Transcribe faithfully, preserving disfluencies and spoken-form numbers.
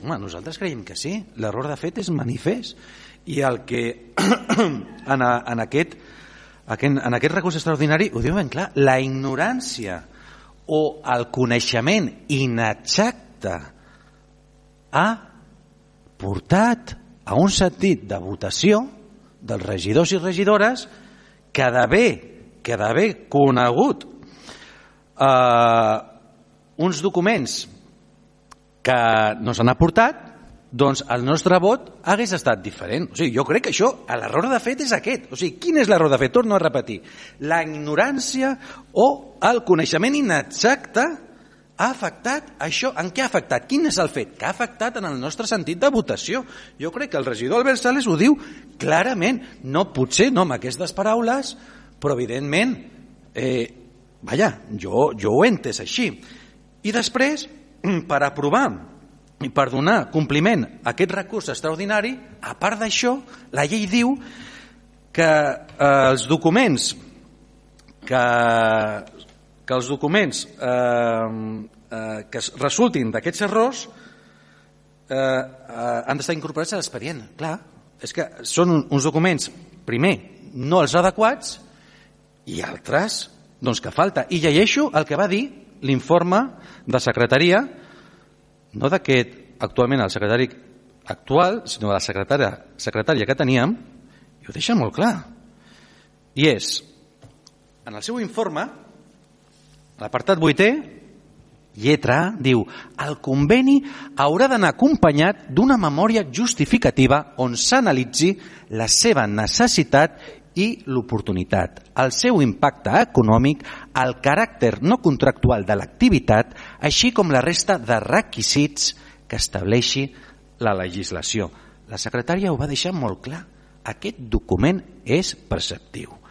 Home, nosaltres creiem que sí. L'error de fet és manifest. I el que en, a, en, aquest, en aquest recurs extraordinari ho diu ben clar, la ignorància o el coneixement inexacte ha portat a un sentit de votació dels regidors i regidores que d'haver que d'haver conegut eh, uns documents que no s'han aportat, doncs el nostre vot hagués estat diferent. O sigui, jo crec que això, l'error de fet és aquest. O sigui, quin és l'error de fet? Torno a repetir. La ignorància o el coneixement inexacte ha afectat això. En què ha afectat? Quin és el fet? Que ha afectat en el nostre sentit de votació. Jo crec que el regidor Albert Sales ho diu clarament. No, potser no amb aquestes paraules, però evidentment, eh, vaja, jo, jo ho he entès així. I després, per aprovar i per donar compliment a aquest recurs extraordinari, a part d'això, la llei diu que eh, els documents que, que els documents eh, eh, que resultin d'aquests errors eh, eh, han d'estar incorporats a l'expedient. Clar, és que són uns documents, primer, no els adequats i altres, doncs que falta. I llegeixo el que va dir l'informe de secretaria, no d'aquest actualment el secretari actual, sinó de la secretària, secretària que teníem, i ho deixa molt clar. I és, en el seu informe, l'apartat vuitè, lletra A, diu: el conveni haurà d'anar acompanyat d'una memòria justificativa on s'analitzi la seva necessitat i l'oportunitat, el seu impacte econòmic, el caràcter no contractual de l'activitat, així com la resta de requisits que estableixi la legislació. La secretària ho va deixar molt clar. Aquest document és preceptiu.